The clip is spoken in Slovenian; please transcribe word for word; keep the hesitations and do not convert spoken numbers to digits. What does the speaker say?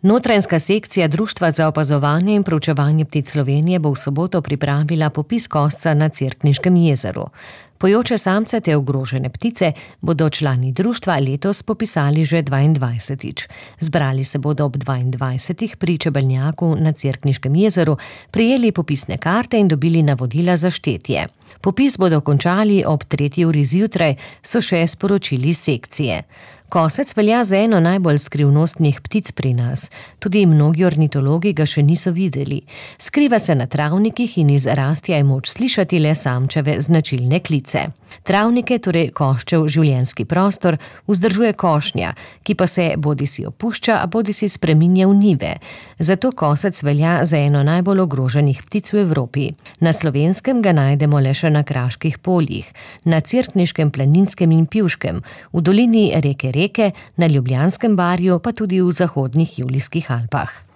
Notranjska sekcija Društva za opazovanje in proučevanje ptic Slovenije bo v soboto pripravila popis kosca na Cerkniškem jezeru. Pojoče samce te ogrožene ptice bodo člani društva letos popisali že dvaindvajsetič. Zbrali se bodo ob dvaindvajsetih pri čebelnjaku na Cerkniškem jezeru, prejeli popisne karte in dobili navodila za štetje. Popis bodo končali ob tretji uri zjutraj, so še sporočili sekcije. Kosec velja za eno najbolj skrivnostnih ptic pri nas. Tudi mnogi ornitologi ga še niso videli. Skriva se na travnikih in iz rastja je moč slišati le samčeve značilne klice. Travnike, torej koščev življenjski prostor, vzdržuje košnja, ki pa se bodisi opušča, a bodisi spreminja v njive. Zato kosec velja za eno najbolj ogroženih ptic v Evropi. Na Slovenskem ga najdemo le še na kraških poljih, na Cerkniškem, Planinskem in Pivškem, v dolini reke Reke, na Ljubljanskem barju pa tudi v zahodnih Julijskih Alpah.